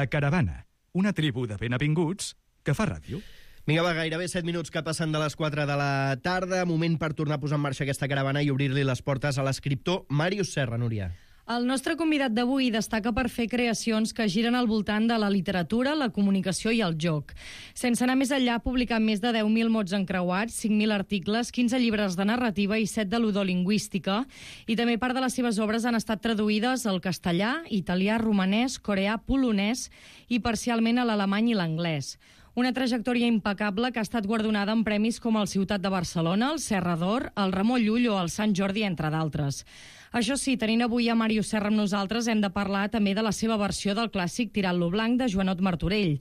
La Caravana, una tribu de benvinguts que fa ràdio. Vinga, va, gairebé 7 minuts que passen de les 4 de la tarda. Moment per tornar a posar en marxa aquesta caravana i obrir-li les portes a l'escriptor Màrius Serra, Núria. El nostre convidat d'avui destaca per fer creacions que giren al voltant de la literatura, la comunicació i el joc. Sense anar més enllà, ha publicat més de 10.000 mots encreuats, 5.000 articles, 15 llibres de narrativa i 7 de ludolingüística. I també part de les seves obres han estat traduïdes al castellà, italià, romanès, coreà, polonès i parcialment a l'alemany i l'anglès. Una trajectòria impecable que ha estat guardonada amb premis com el Ciutat de Barcelona, el Serra d'Or, el Ramon Llull o el Sant Jordi, entre d'altres. Això sí, tenint avui a Màrius Serra amb nosaltres, hem de parlar també de la seva versió del clàssic Tirant-lo blanc de Joanot Martorell.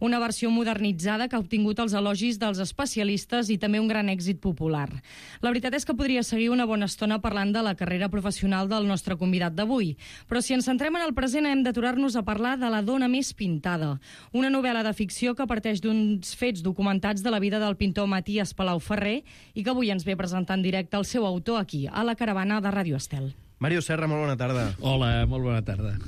Una versió modernitzada que ha obtingut els elogis dels especialistes i també un gran èxit popular. La veritat és que podria seguir una bona estona parlant de la carrera professional del nostre convidat d'avui. Però si ens centrem en el present, hem d'aturar-nos a parlar de La dona més pintada, una novel·la de ficció que parteix d'uns fets documentats de la vida del pintor Maties Palau Ferrer i que avui ens ve presentar en directe el seu autor aquí, a la caravana de Ràdio Estel. Màrius Serra, molt bona tarda. Hola, molt bona tarda.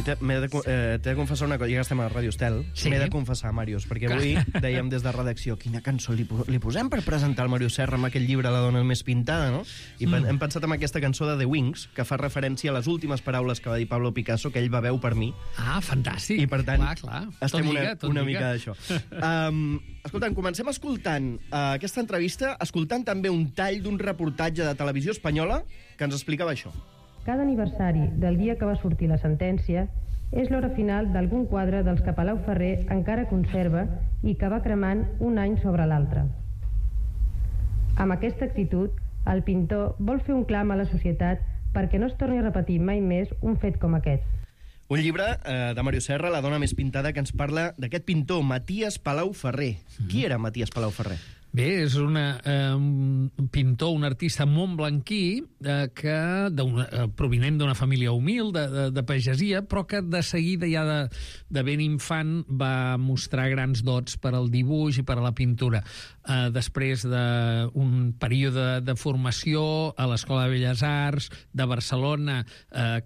T'he de confessar una cosa, ja que estem a Ràdio Estel, sí. M'he de confessar, Màrius, perquè avui dèiem des de redacció quina cançó li posem per presentar el Màrius Serra amb aquell llibre La dona més pintada, no? I hem pensat en aquesta cançó de The Wings, que fa referència a les últimes paraules que va dir Pablo Picasso, que ell va veu per mi. Ah, fantàstic. I per tant, clar. estem una mica d'això. Escoltant, comencem escoltant aquesta entrevista, escoltant també un tall d'un reportatge de Televisió Espanyola que ens explicava això. Cada aniversari del dia que va sortir la sentència és l'hora final d'algun quadre dels que Palau Ferrer encara conserva i que va cremant un any sobre l'altre. Amb aquesta actitud, el pintor vol fer un clam a la societat perquè no es torni a repetir mai més un fet com aquest. Un llibre de Màrius Serra, La dona més pintada, que ens parla d'aquest pintor, Maties Palau Ferrer. Qui era Maties Palau Ferrer? Bé, és un pintor, un artista montblanquí provinent d'una família humil, de pagesia, però que de seguida, ja de ben infant, va mostrar grans dots per al dibuix i per a la pintura. Després d'un període de formació a l'Escola de Belles Arts de Barcelona,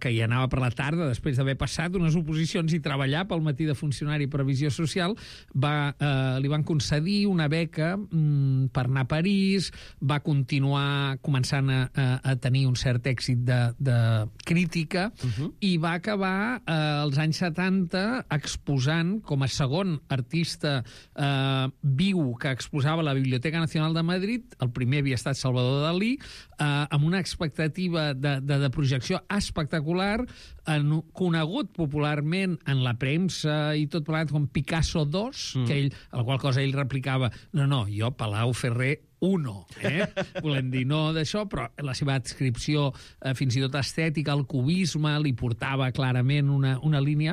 que hi anava per la tarda, després d'haver passat unes oposicions i treballar pel matí de funcionari i previsió social, li van concedir una beca per anar a París, va continuar començant a tenir un cert èxit de crítica i va acabar als anys 70 exposant com a segon artista viu que exposava a la Biblioteca Nacional de Madrid. El primer havia estat Salvador Dalí, amb una expectativa de projecció espectacular, conegut popularment en la premsa i tot plegat com Picasso 2, a la qual cosa ell replicava no, jo Palau Ferrer 1, volem dir, no d'això, però la seva adscripció fins i tot estètica, el cubisme, li portava clarament una línia.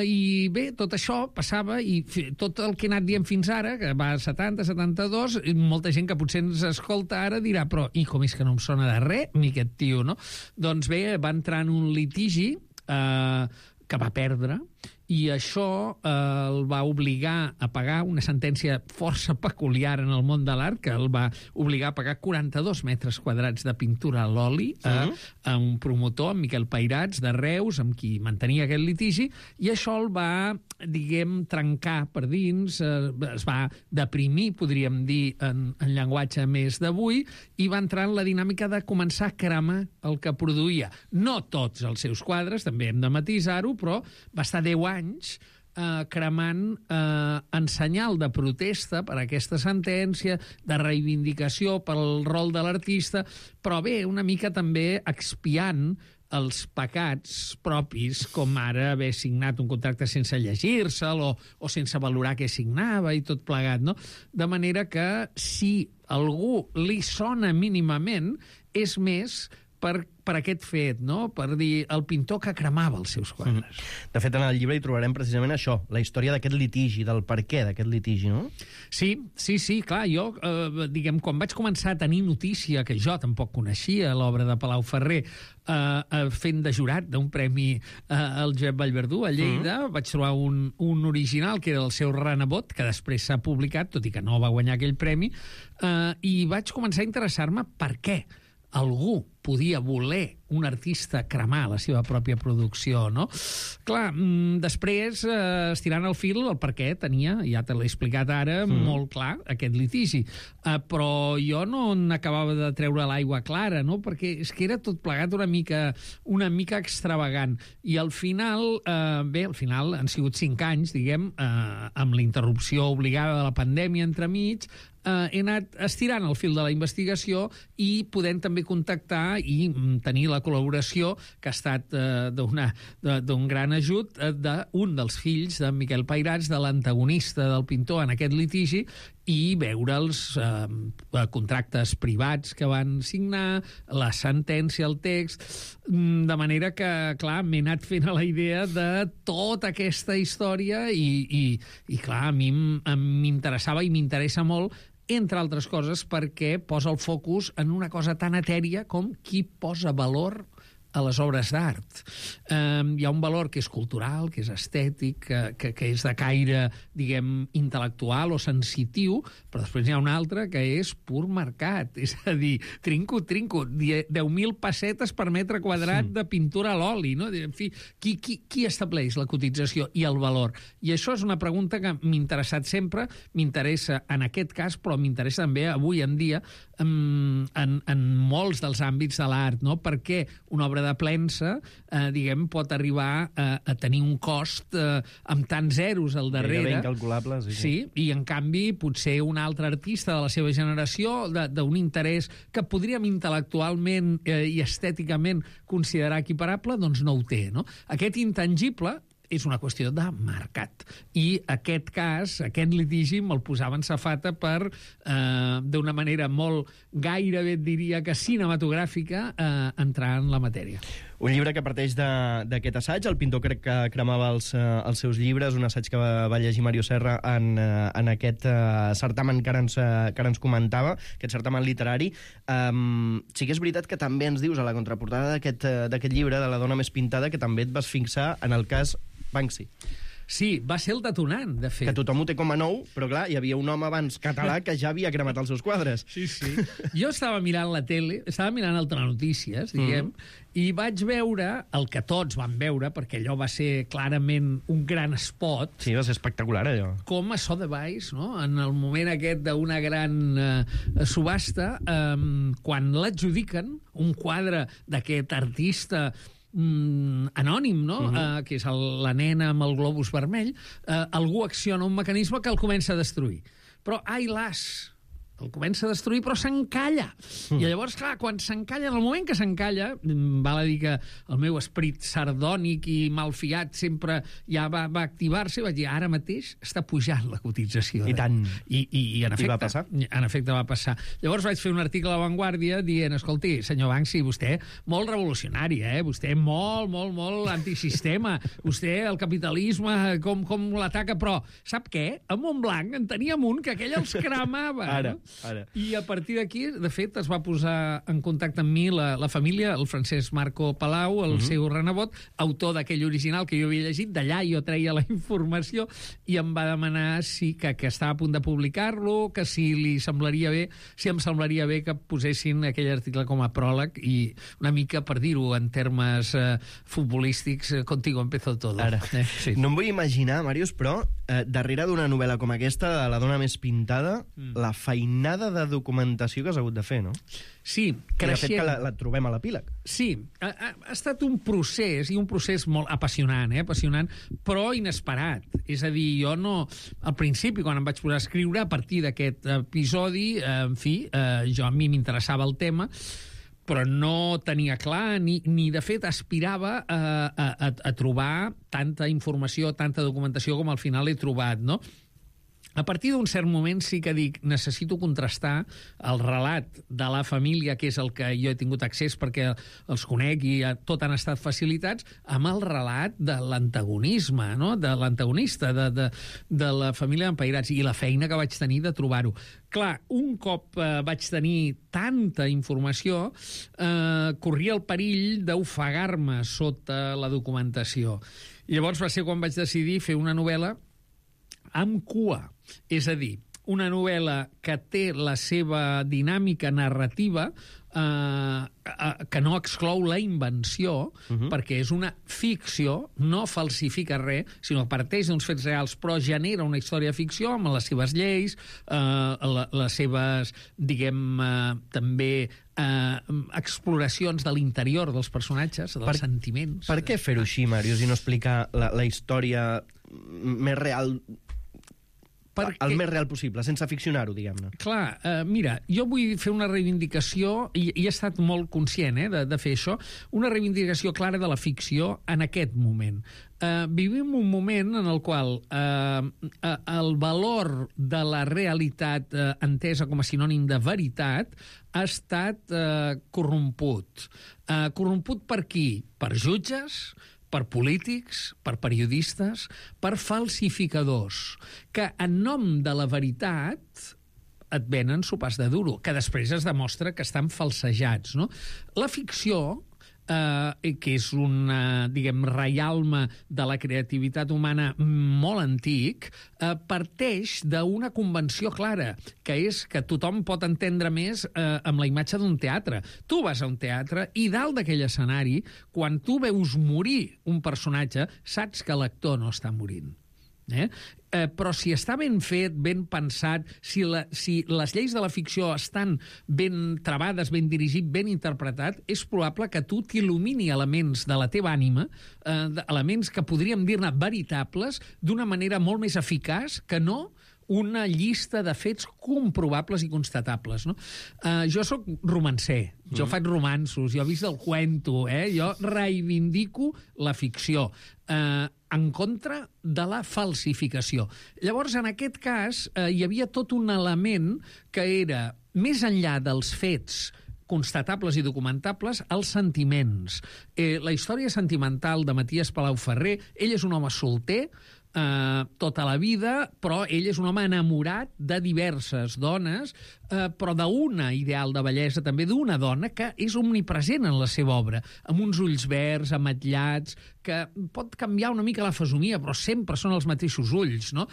I bé, tot això passava, i tot el que he anat dient fins ara, que va a 70, 72, molta gent que potser ens escolta ara dirà, però i com és que no em sona de res, ni aquest tio, no? Doncs bé, va entrar en un litigi que va perdre, i això el va obligar a pagar una sentència força peculiar en el món de l'art, que el va obligar a pagar 42 metres quadrats de pintura a l'oli a un promotor, en Miquel Pairats, de Reus, amb qui mantenia aquest litigi, i això el va, diguem, trencar per dins, es va deprimir, podríem dir, en llenguatge més d'avui, i va entrar en la dinàmica de començar a cremar el que produïa. No tots els seus quadres, també hem de matisar-ho, però va estar 10 anys cremant en senyal de protesta per aquesta sentència, de reivindicació pel rol de l'artista, però bé, una mica també expiant els pecats propis, com ara haver signat un contracte sense llegir-se'l o sense valorar què signava i tot plegat, no? De manera que si algú li sona mínimament, és més per per aquest fet, no? Per dir el pintor que cremava els seus quadres. De fet, en el llibre hi trobarem precisament això, la història d'aquest litigi, del per què d'aquest litigi, no? Sí, clar, jo, diguem, quan vaig començar a tenir notícia, que jo tampoc coneixia l'obra de Palau Ferrer, fent de jurat d'un premi al Josep Vallverdú a Lleida, vaig trobar un original que era el seu renebot, que després s'ha publicat, tot i que no va guanyar aquell premi, i vaig començar a interessar-me per què algú podia voler un artista cremar la seva pròpia producció, no? Clar, després, estirant el fil, el per què tenia, ja te l'he explicat ara, molt clar, aquest litigi. Però jo no n'acabava de treure l'aigua clara, no? Perquè és que era tot plegat una mica extravagant. I al final, al final han sigut 5 anys, diguem, amb la interrupció obligada de la pandèmia entremig, he anat estirant el fil de la investigació i podent també contactar i tenir la col·laboració que ha estat d'un gran ajut d'un dels fills de Miquel Pairats, de l'antagonista del pintor en aquest litigi, i veure els contractes privats que van signar, la sentència, el text, de manera que, clar, m'he anat fent a la idea de tota aquesta història i clar, a mi m'interessava i m'interessa molt, entre altres coses, perquè posa el focus en una cosa tan etèria com qui posa valor a les obres d'art. Hi ha un valor que és cultural, que és estètic, que és de caire, diguem, intel·lectual o sensitiu, però després hi ha un altre que és pur mercat. És a dir, trinco, 10.000 pessetes per metre quadrat de pintura a l'oli, no? En fi, qui estableix la cotització i el valor? I això és una pregunta que m'ha interessat sempre, m'interessa en aquest cas, però m'interessa també avui en dia en molts dels àmbits de l'art, no? Perquè una obra de premsa, diguem, pot arribar a tenir un cost amb tants zeros al darrere. Gairebé incalculable, sí. Sí, i en canvi potser un altre artista de la seva generació, d'un interès que podríem intel·lectualment i estèticament considerar equiparable, doncs no ho té, no? Aquest intangible és una qüestió de mercat. I aquest cas, aquest litigi, me'l posava en safata per, d'una manera molt gairebé, diria que cinematogràfica, entrar en la matèria. Un llibre que parteix d'aquest assaig. El pintor crec que cremava els seus llibres, un assaig que va llegir Mario Serra en aquest certamen que ara ens comentava, aquest certamen literari. Sí que és veritat que també ens dius a la contraportada d'aquest llibre, de La dona més pintada, que també et vas fixar en el cas Banksy. Sí, va ser el detonant, de fet. Que tothom ho té com a nou, però clar, hi havia un home abans català que ja havia cremat els seus quadres. Sí. Jo estava mirant la tele, estava mirant el Telenotícies, diguem, i vaig veure el que tots van veure, perquè allò va ser clarament un gran spot. Sí, va ser espectacular, allò. Com a Sotheby's, no? En el moment aquest d'una gran subhasta, quan l'adjudiquen, un quadre d'aquest artista anònim, no? Que és la nena amb el globus vermell, algú acciona un mecanisme que el comença a destruir. Però, ai las, el comença a destruir, però s'encalla. I llavors, clar, quan s'encalla, en el moment que s'encalla, val a dir que el meu esperit sardònic i malfiat sempre ja va activar-se i vaig dir, ara mateix està pujant la cotització. I tant. I en efecte, va passar? En efecte va passar. Llavors vaig fer un article a La Vanguardia dient, escolti, senyor Banksy, vostè molt revolucionari, vostè molt antisistema, vostè el capitalisme, com l'ataca, però sap què? A Montblanc en teníem un que aquell els cremava. Ara. I a partir d'aquí, de fet, es va posar en contacte amb mi la família, el Francesc Marco Palau, el seu renebot, autor d'aquell original que jo havia llegit, d'allà jo treia la informació i em va demanar que estava a punt de publicar-lo, que si em semblaria bé que posessin aquell article com a pròleg i una mica, per dir-ho en termes futbolístics, contigo empezó todo. Ara. Sí. No em vull imaginar, Màrius, però darrere d'una novel·la com aquesta, de La dona més pintada, la feinada de documentació que has hagut de fer, no? Sí, I creixent. de fet que la trobem a l'epíleg. Sí, ha estat un procés, i un procés molt apassionant, apassionant, però inesperat. És a dir, jo no... Al principi, quan em vaig posar a escriure, a partir d'aquest episodi, en fi, a mi m'interessava el tema, però no tenia clar, ni de fet aspirava a trobar tanta informació, tanta documentació com al final he trobat, no? A partir d'un cert moment sí que dic, necessito contrastar el relat de la família, que és el que jo he tingut accés perquè els conec i tot han estat facilitats, amb el relat de l'antagonisme, no? De l'antagonista, de la família d'Empairats, i la feina que vaig tenir de trobar-ho. Clar, un cop vaig tenir tanta informació, corria el perill d'ofegar-me sota la documentació. I llavors va ser quan vaig decidir fer una novel·la amb cua, és a dir, una novel·la que té la seva dinàmica narrativa que no exclou la invenció, perquè és una ficció, no falsifica res, sinó que parteix d'uns fets reals, però genera una història de ficció amb les seves lleis, les seves, diguem, també exploracions de l'interior dels personatges, dels sentiments. Per què fer-ho així, Màrius, i no explicar la història més real, el més real possible, sense ficcionar-ho, diguem-ne? Clar, mira, jo vull fer una reivindicació, i he estat molt conscient de fer això, una reivindicació clara de la ficció en aquest moment. Vivim un moment en el qual el valor de la realitat entesa com a sinònim de veritat ha estat corromput. Corromput per qui? Per jutges, per polítics, per periodistes, per falsificadors, que en nom de la veritat et venen sopars de duro, que després es demostra que estan falsejats, no? La ficció, que és un, diguem, reialme de la creativitat humana molt antic, parteix d'una convenció clara, que és que tothom pot entendre més amb la imatge d'un teatre. Tu vas a un teatre i dalt d'aquell escenari, quan tu veus morir un personatge, saps que l'actor no està morint. Però si està ben fet, ben pensat, si les lleis de la ficció estan ben travades, ben dirigit, ben interpretat, és probable que tu t'il·lumini elements de la teva ànima, elements que podríem dir-ne veritables, d'una manera molt més eficaç que no una llista de fets comprovables i constatables, no? Jo sóc romancer, jo faig romanços, jo visc del cuento, jo reivindico la ficció en contra de la falsificació. Llavors, en aquest cas, hi havia tot un element que era, més enllà dels fets constatables i documentables, els sentiments. La història sentimental de Matías Palau-Ferrer, ell és un home solter, tota la vida, però ell és un home enamorat de diverses dones, però d'una ideal de bellesa, també d'una dona que és omnipresent en la seva obra, amb uns ulls verds, ametllats, que pot canviar una mica la fesomia, però sempre són els mateixos ulls, no?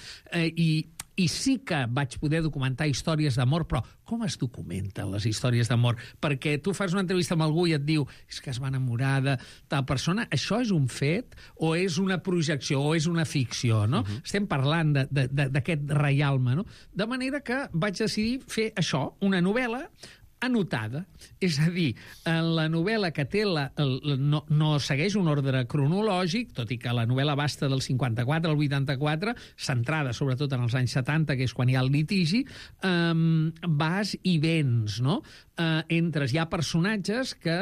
I sí que vaig poder documentar històries d'amor, però com es documenten les històries d'amor? Perquè tu fas una entrevista amb algú i et diu és que es va enamorar de tal persona. Això és un fet o és una projecció o és una ficció, no? Estem parlant d'aquest reialme, no? De manera que vaig decidir fer això, una novel·la anotada. És a dir, la novel·la que té no segueix un ordre cronològic, tot i que la novel·la basta del 54 al 84, centrada sobretot en els anys 70, que és quan hi ha el litigi, vas i vens, no? Hi ha personatges que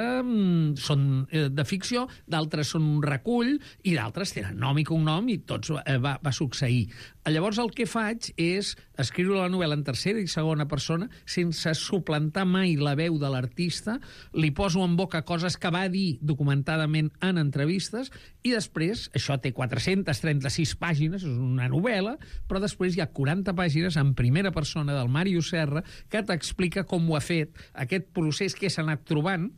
són de ficció, d'altres són un recull i d'altres tenen nom i cognom i tots va succeir. Llavors el que faig és escriure la novel·la en tercera i segona persona sense suplantar mai la veu de l'artista, li poso en boca coses que va dir documentadament en entrevistes i després, això té 436 pàgines, és una novel·la, però després hi ha 40 pàgines en primera persona del Màrius Serra que t'explica com ho ha fet, aquest procés que s'ha anat trobant,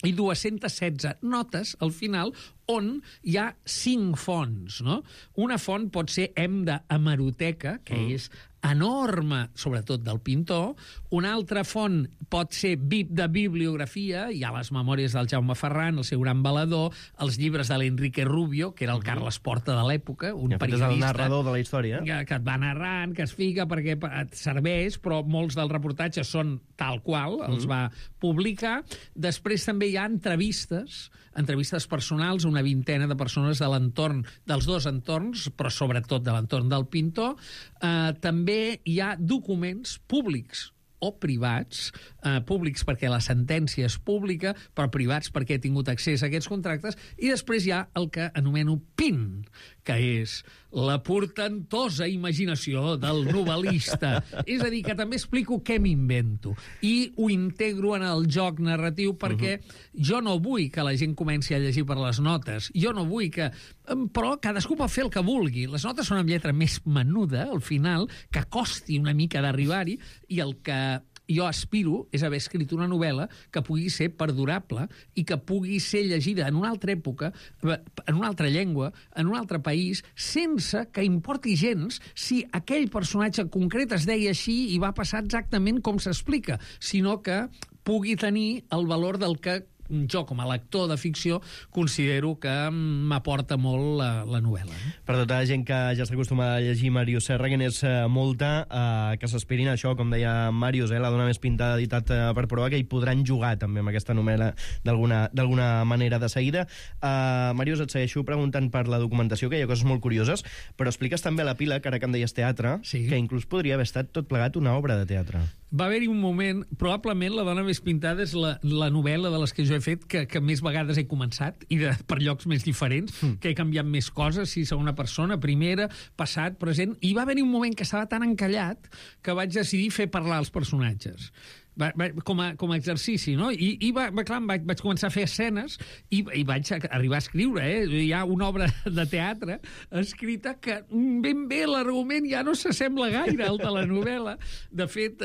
i 216 notes al final on hi ha 5 fonts, no? Una font pot ser d'hemeroteca, que és enorme, sobretot del pintor. Una altra font pot ser de bibliografia, hi ha les memòries del Jaume Ferran, el seu gran valedor, els llibres de l'Enrique Rubio, que era el Carles Porta de l'època, un periodista... És el narrador de la història. Que et va narrant, que es fica perquè et serveix, però molts dels reportatges són tal qual, els va publicar. Després també hi ha entrevistes personals, una vintena de persones de l'entorn, dels dos entorns, però sobretot de l'entorn del pintor. També hi ha documents públics o privats, públics perquè la sentència és pública, però privats perquè he tingut accés a aquests contractes, i després hi ha el que anomeno PIN, que és la portentosa imaginació del novel·lista. És a dir, que també explico què m'invento i ho integro en el joc narratiu perquè jo no vull que la gent comenci a llegir per les notes. Jo no vull que... Però cadascú pot fer el que vulgui. Les notes són amb lletra més menuda, al final, que costi una mica d'arribar-hi, i el que jo aspiro és haver escrit una novel·la que pugui ser perdurable i que pugui ser llegida en una altra època, en una altra llengua, en un altre país, sense que importi gens si aquell personatge concret es deia així i va passar exactament com s'explica, sinó que pugui tenir el valor del que jo, com a lector de ficció, considero que m'aporta molt la novel·la. Per tota la gent que ja està acostumada a llegir Màrius Serra, que n'és molta, que s'aspirin a això, com deia Màrius, la dona més pintada, editat per Proa, que hi podran jugar també amb aquesta novel·la d'alguna manera de seguida. Màrius, et segueixo preguntant per la documentació, que hi ha coses molt curioses, però expliques també a l'epíleg, ara que em deies teatre, que inclús podria haver estat tot plegat una obra de teatre. Va haver-hi un moment, probablement La dona més pintada és la novel·la de les que jo he fet que més vegades he començat, i per llocs més diferents, que he canviat més coses, si segona persona, primera, passat, present, i va haver-hi un moment que estava tan encallat que vaig decidir fer parlar els personatges. Com a exercici, no? I clar, vaig començar a fer escenes i vaig arribar a escriure, Hi ha una obra de teatre escrita que ben bé l'argument ja no s'assembla gaire al de la novel·la. De fet,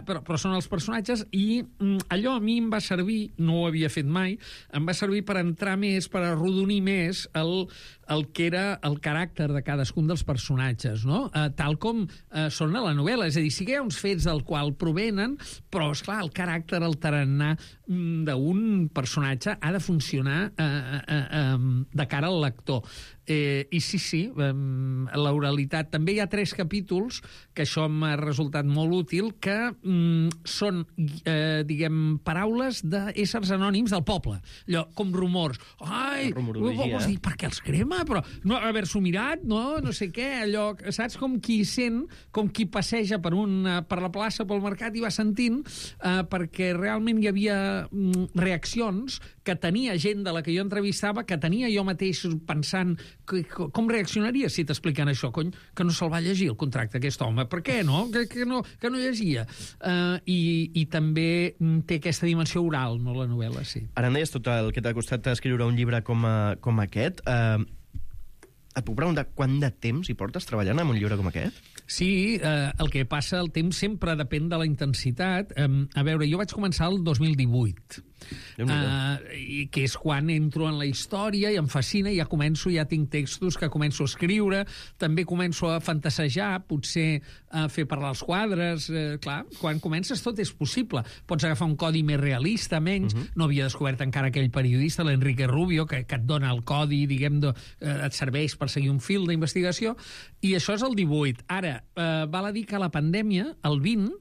però són els personatges, i allò a mi em va servir, no ho havia fet mai, em va servir per entrar més, per arrodonir més el que era el caràcter de cadascun dels personatges, no? Tal com són a la novel·la. És a dir, sí que hi ha uns fets del qual provenen, però, esclar, el caràcter, el tarannà d'un personatge ha de funcionar de cara al lector. I sí, l'oralitat. També hi ha 3 capítols, que això m'ha resultat molt útil, que són, diguem, paraules d'éssers anònims del poble. Allò, com rumors. Ai, vols dir, per què els crema? Però no haver-s'ho mirat, no sé què, allò, saps, com qui sent, com qui passeja per la plaça, pel mercat, i va sentint, perquè realment hi havia reaccions que tenia gent de la que jo entrevistava, que tenia jo mateix pensant com reaccionaria si t'expliquen això, cony, que no se'l va llegir el contracte aquest home, per què no? Que no llegia. I també té aquesta dimensió oral, no, la novel·la, sí. Ara em deies tot el que t'ha costat escriure un llibre com aquest. Et puc preguntar quant de temps hi portes treballant en un llibre com aquest? Sí, el que passa, el temps sempre depèn de la intensitat. A veure, jo vaig començar el 2018, que és quan entro en la història i em fascina, i ja tinc textos que començo a escriure, també començo a fantasejar, potser a fer parlar els quadres. Clar, quan comences tot és possible. Pots agafar un codi més realista, menys. No havia descobert encara aquell periodista, l'Enrique Rubio, que et dona el codi, diguem, et serveix per seguir un fil d'investigació, i això és el 18. Ara, val a dir que la pandèmia, el 20,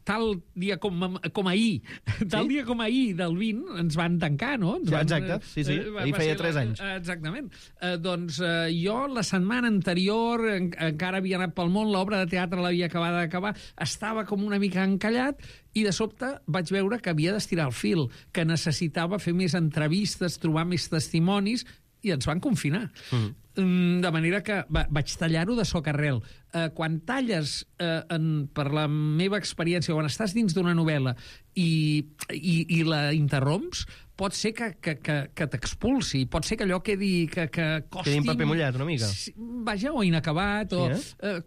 tal dia com ahir, dia com ahir del 20, ens van tancar, no? Exacte, sí. Ahir feia 3 anys. Exactament. Doncs jo, la setmana anterior, encara havia anat pel món, l'obra de teatre l'havia acabat d'acabar, estava com una mica encallat, i de sobte vaig veure que havia d'estirar el fil, que necessitava fer més entrevistes, trobar més testimonis, i ens van confinar. De manera que vaig tallar-ho de socarrel. Quan talles, per la meva experiència, quan estàs dins d'una novel·la i la interromps, pot ser que t'expulsi, pot ser que allò quedi costi... Quedi en paper mullat, una mica. Vaja, o inacabat, o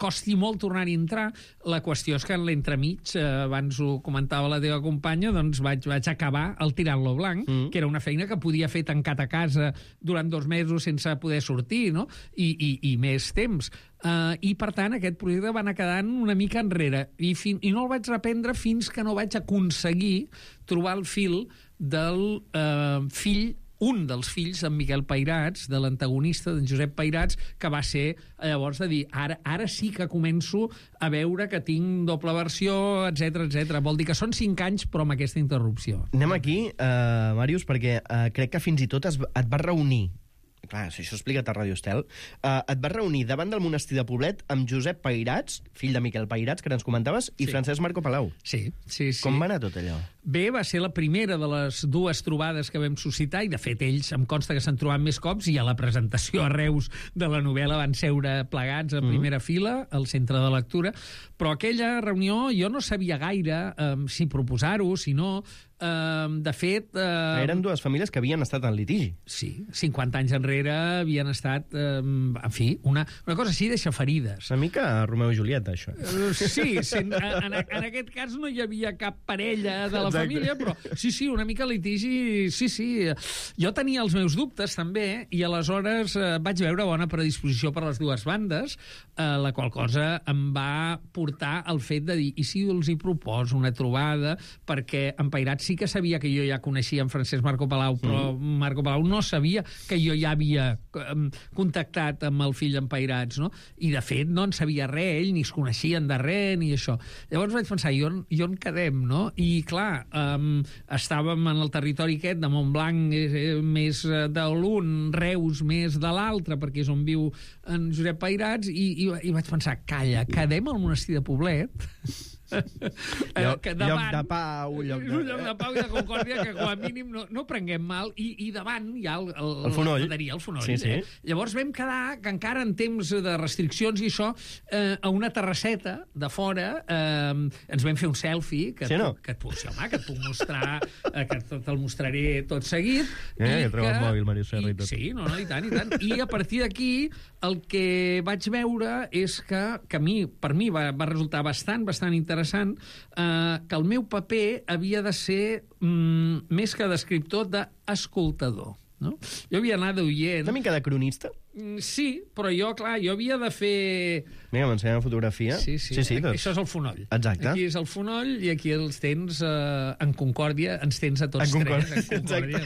costi molt tornar-hi a entrar. La qüestió és que en l'entremig, abans ho comentava la teva companya, doncs vaig acabar el Tirant-lo Blanc, que era una feina que podia fer tancat a casa durant 2 mesos sense poder sortir, no? I més temps. I, per tant, aquest projecte va anar quedant una mica enrere. I no el vaig reprendre fins que no vaig aconseguir trobar el fil del un dels fills, en Miquel Pairats, de l'antagonista, d'en Josep Pairats, que va ser, llavors, de dir, ara sí que començo a veure que tinc doble versió, etc. Vol dir que són 5 anys, però amb aquesta interrupció. Anem aquí, Màrius, perquè crec que fins i tot et vas reunir clar, si això explica't a Radio Estel, et vas reunir davant del monestir de Poblet amb Josep Pairats, fill de Miquel Pairats, que ens comentaves, i Francesc Marco Palau. Sí. Com va anar tot allò? Bé, va ser la primera de les dues trobades que vam suscitar, i de fet ells em consta que s'han trobat més cops, i a la presentació a Reus de la novel·la van seure plegats a primera fila al centre de lectura, però aquella reunió jo no sabia gaire si proposar-ho, si no. De fet... Eren dues famílies que havien estat en litigi. Sí, 50 anys enrere havien estat, en fi, una cosa així deixa ferides. Una mica Romeu i Julieta, això. Sí, en aquest cas no hi havia cap parella de la família, però sí, una mica litigi, sí. Jo tenia els meus dubtes, també, i aleshores vaig veure bona predisposició per les dues bandes, la qual cosa em va portar al fet de dir, i si els hi proposo una trobada, perquè en Pairats sí que sabia que jo ja coneixia en Francesc Marco Palau, però Marco Palau no sabia que jo ja havia contactat amb el fill en Pairats, no? I de fet no en sabia res, ell ni es coneixien de res ni això. Llavors vaig pensar, i on quedem, no? I clar, estàvem en el territori aquest de Montblanc més de l'un, Reus més de l'altre, perquè és on viu en Josep Pairats, i vaig pensar, calla, quedem al monestir de Poblet? Lloc de pau, lloc de pau i de concòrdia, que com a mínim no prenguem mal, i davant hi ha el fonoll. El fonoll. Sí. Llavors vam quedar, que encara en temps de restriccions i això, a una terrasseta de fora, ens vam fer un selfie que et puc mostrar, que te'l mostraré tot seguit. Ja trobo el mòbil, Màrius Serra, i tot. Sí, i tant. I a partir d'aquí el que vaig veure és que per mi va resultar bastant interessant, que el meu paper havia de ser més que d'escriptor, d'escoltador. No? Jo havia anat d'oient... Una mica de cronista? Sí, però jo havia de fer... Vinga, m'ensenyem la fotografia. Sí, això és el fonoll. Exacte. Aquí és el fonoll i aquí els tens en concòrdia, ens tens a tots tres en concòrdia.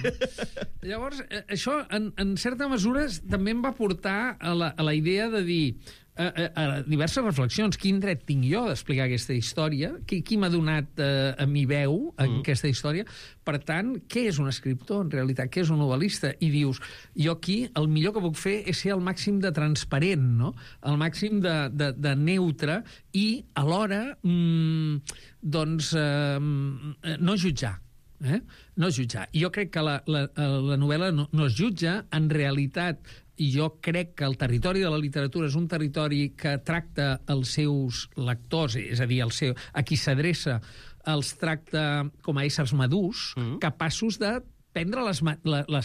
Llavors, això, en certa mesura, també em va portar a la idea de dir... a diverses reflexions. Quin dret tinc jo d'explicar aquesta història? Qui m'ha donat a mi veu en aquesta història? Per tant, què és un escriptor, en realitat? Què és un novel·lista? I dius, jo aquí el millor que puc fer és ser el màxim de transparent, no? El màxim de neutre i, alhora, no jutjar. No jutjar. I jo crec que la novel·la no es jutja, en realitat. I jo crec que el territori de la literatura és un territori que tracta els seus lectors, és a dir, a qui s'adreça, els tracta com a éssers madurs, capaços de prendre les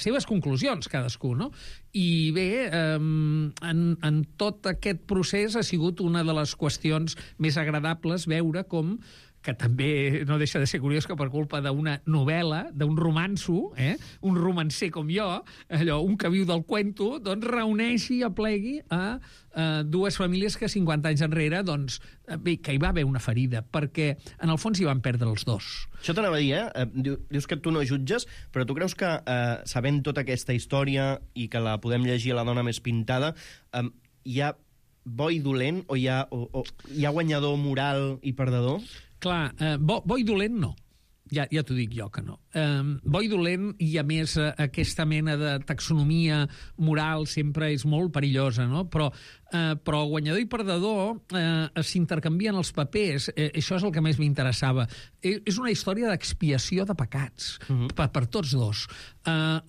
seves conclusions, cadascú, no? I bé, en tot aquest procés ha sigut una de les qüestions més agradables veure com que també no deixa de ser curiós que per culpa d'una novel·la, d'un romanço, un romancer com jo, un que viu del cuento, doncs reuneixi i aplegui a dues famílies que 50 anys enrere, doncs, bé, que hi va haver una ferida, perquè en el fons hi van perdre els dos. Això t'anava a dir, dius que tu no jutges, però tu creus que, sabent tota aquesta història i que la podem llegir a La dona més pintada, hi ha bo i dolent, o hi ha guanyador moral i perdedor? Clar, bo i dolent no. Ja t'ho dic jo que no. Bo i dolent, i a més aquesta mena de taxonomia moral sempre és molt perillosa, no? Però guanyador i perdedor s'intercanvien els papers. Això és el que més m'interessava. És una història d'expiació de pecats, per tots dos.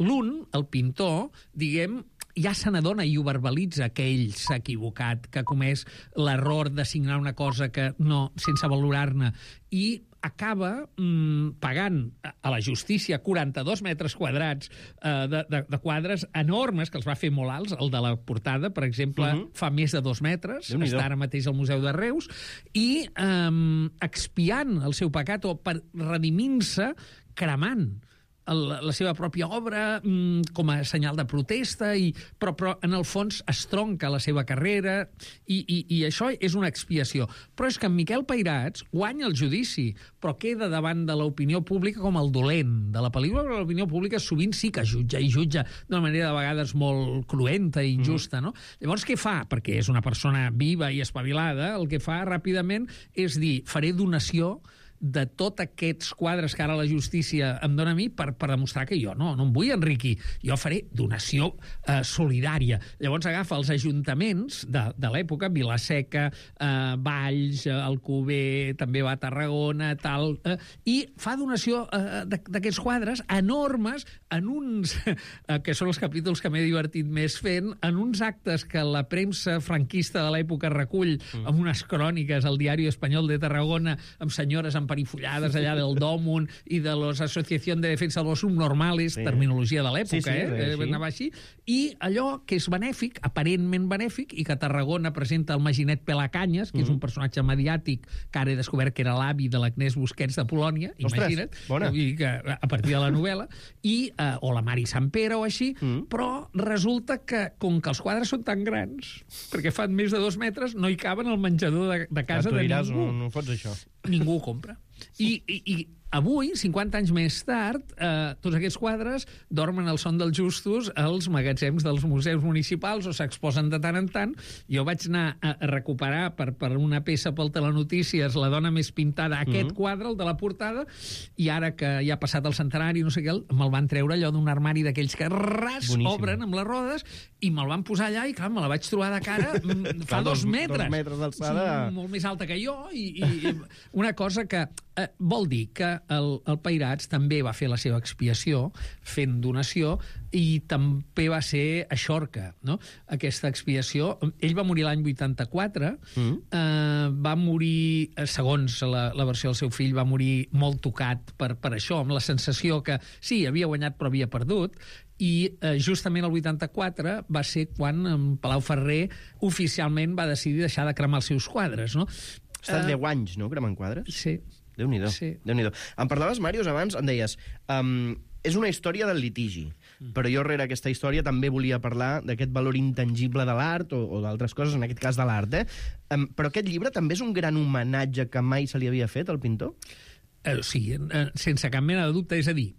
L'un, el pintor, diguem, ja se n'adona i ho verbalitza que ell s'ha equivocat, que ha comès l'error de signar una cosa que no, sense valorar-ne, i acaba pagant a la justícia 42 metres quadrats de quadres enormes, que els va fer molt alts. El de la portada, per exemple, fa més de 2 metres, està ara mateix al Museu de Reus, i expiant el seu pecat, o per redimir-se, cremant la seva pròpia obra com a senyal de protesta, però en el fons es tronca la seva carrera, i això és una expiació. Però és que en Miquel Pairats guanya el judici, però queda davant de l'opinió pública com el dolent de la pel·lícula, però l'opinió pública sovint sí que jutja, i jutja d'una manera de vegades molt cruenta i injusta, no? Llavors, què fa? Perquè és una persona viva i espavilada, el que fa ràpidament és dir, faré donació de tots aquests quadres que ara la justícia em dona a mi per demostrar que jo no em vull enriquir. Jo faré donació solidària. Llavors agafa els ajuntaments de l'època, Vila-seca, Valls, Alcover, també va a Tarragona, tal, i fa donació d'aquests quadres enormes en uns, que són els capítols que m'he divertit més fent, en uns actes que la premsa franquista de l'època recull amb unes cròniques al Diari Espanyol de Tarragona, amb senyores emparifollades allà del Dòmun i de l'Associació de Defensa de los Subnormales, terminologia de l'època, anava així, i allò que és benèfic, aparentment benèfic, i que Tarragona presenta el Maginet Pelacanyes, que és un personatge mediàtic que ara he descobert que era l'avi de l'Agnès Busquets de Polònia, imagina't, a partir de la novel·la, o la Mari Sampere o així, però resulta que, com que els quadres són tan grans, perquè fan més de 2 metres, no hi caben al menjador de casa de ningú. No fots això. Ningú ho compra. I avui, 50 anys més tard, tots aquests quadres dormen al son dels justos als magatzems dels museus municipals o s'exposen de tant en tant. Jo vaig anar a recuperar per una peça pel Telenotícies La dona més pintada, aquest quadre, el de la portada, i ara que ja ha passat el centenari, no sé què, me'l van treure allò d'un armari d'aquells que obren amb les rodes i me'l van posar allà i, clar, me la vaig trobar de cara fa 2 metres. 2 metres d'alçada. Molt més alta que jo i una cosa que vol dir que el Peirats també va fer la seva expiació fent donació i també va ser a Xorca, no? Aquesta expiació. Ell va morir l'any 84, va morir, segons la versió del seu fill, va morir molt tocat per això, amb la sensació que sí, havia guanyat però havia perdut, i justament el 84 va ser quan Palau Ferrer oficialment va decidir deixar de cremar els seus quadres, no? Ha estat 10 anys, no?, cremant quadres? Sí. Déu-n'hi-do. Sí. Déu-n'hi-do. Em parlaves, Màrius, abans, em deies, és una història del litigi, però jo rere aquesta història també volia parlar d'aquest valor intangible de l'art o d'altres coses, en aquest cas de l'art, però aquest llibre també és un gran homenatge que mai se li havia fet al pintor? Sí, sense cap mena de dubte. És a dir,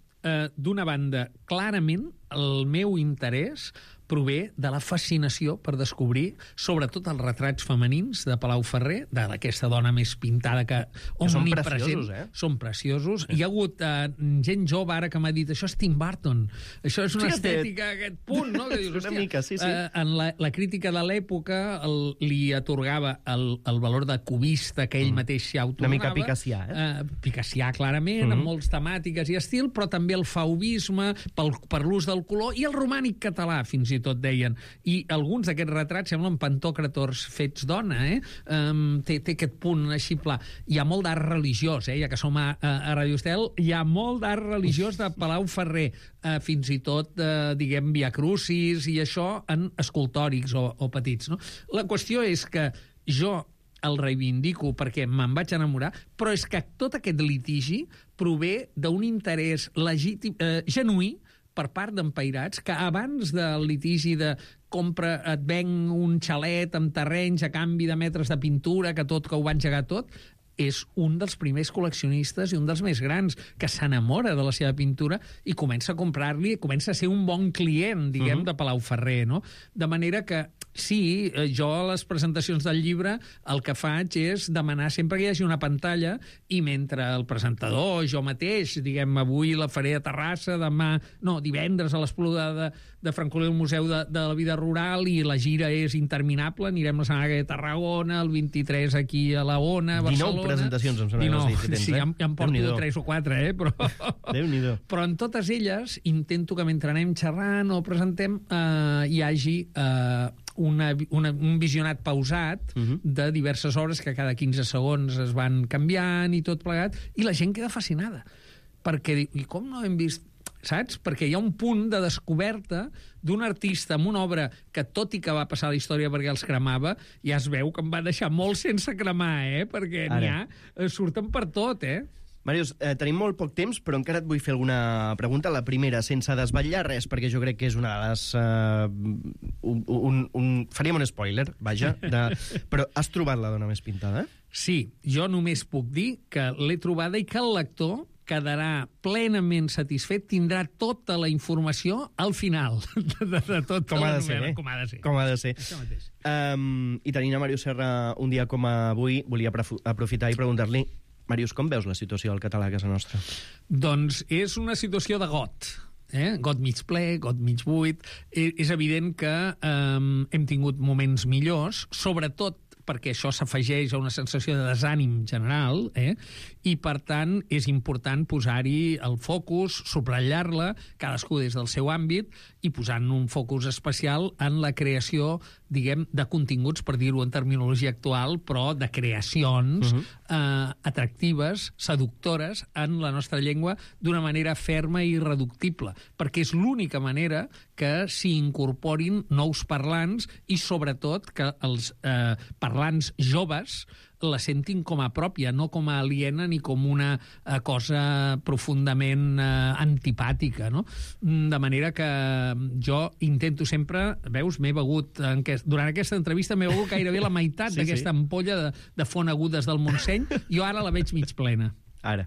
d'una banda, clarament el meu interès prové de la fascinació per descobrir, sobretot els retrats femenins de Palau Ferrer, d'aquesta dona més pintada que són preciosos, Són preciosos. Hi ha hagut gent jove ara que m'ha dit això és Tim Burton, això és una estètica, aquest punt, no? Que dius, una mica, sí. En la crítica de l'època li atorgava el valor de cubista que ell mateix s'hi atorgava. Una mica picassià, Picassià, clarament, amb molts temàtiques i estil, però també el fauvisme, per l'ús del color, i el romànic català, fins i tot deien. I alguns d'aquests retrats semblen pantòcrators fets dona, té aquest punt així pla. Hi ha molt d'art religiós, ja que som a Radio Estel, hi ha molt d'art religiós de Palau Ferrer, fins i tot, diguem, Via Crucis i això en escultòrics o petits, no? La qüestió és que jo el reivindico perquè me'n vaig enamorar, però és que tot aquest litigi prové d'un interès legítim, genuí, per part d'en Peirats, que abans del litigi de compra, et venc un xalet amb terrenys a canvi de metres de pintura, que ho va engegar tot, és un dels primers col·leccionistes i un dels més grans que s'enamora de la seva pintura i comença a comprar-li, comença a ser un bon client, diguem, de Palau Ferrer, no? De manera que sí, jo a les presentacions del llibre el que faig és demanar sempre que hi hagi una pantalla i mentre el presentador, jo mateix, diguem, avui la faré a Terrassa, divendres a l'Espluga de Francolí al Museu de la Vida Rural i la gira és interminable, anirem la setmana que a Tarragona, el 23 aquí a la Ona, a Barcelona. 19 presentacions, em sembla que tens, sí, ja em porto 3 o 4, però... Déu-n'hi-do. Però en totes elles intento que mentre anem xerrant o presentem hi hagi un visionat pausat de diverses obres que cada 15 segons es van canviant i tot plegat, i la gent queda fascinada. Perquè diu, i com no hem vist... Saps? Perquè hi ha un punt de descoberta d'un artista amb una obra que, tot i que va passar a la història perquè els cremava, ja es veu que em va deixar molt sense cremar, perquè n'hi ha... Surten per tot, Màrius, tenim molt poc temps, però encara et vull fer alguna pregunta. La primera, sense desvetllar res, perquè jo crec que és una de les... Faríem un spoiler, vaja. Però has trobat la dona més pintada? Sí, jo només puc dir que l'he trobada i que el lector quedarà plenament satisfet, tindrà tota la informació al final de tota la novel·la. Com ha de ser. Com ha de ser. Això mateix. I tenint a Màrius Serra un dia com avui, volia aprofitar i preguntar-li Màrius, com veus la situació del català a casa nostra? Doncs és una situació de got. Got mig ple, got mig buit. És evident que hem tingut moments millors, sobretot perquè això s'afegeix a una sensació de desànim general, i, per tant, és important posar-hi el focus, subratllar-la, cadascú des del seu àmbit, i posant un focus especial en la creació, diguem, de continguts, per dir-ho en terminologia actual, però de creacions atractives, seductores, en la nostra llengua, d'una manera ferma i irreductible, perquè és l'única manera que s'hi incorporin nous parlants i, sobretot, que els parlants joves la sentin com a pròpia, no com a aliena ni com una cosa profundament antipàtica, no? De manera que jo intento sempre, veus, m'he begut, durant aquesta entrevista m'he begut gairebé la meitat d'aquesta ampolla de font agudes del Montseny, jo ara la veig mig plena. Ara.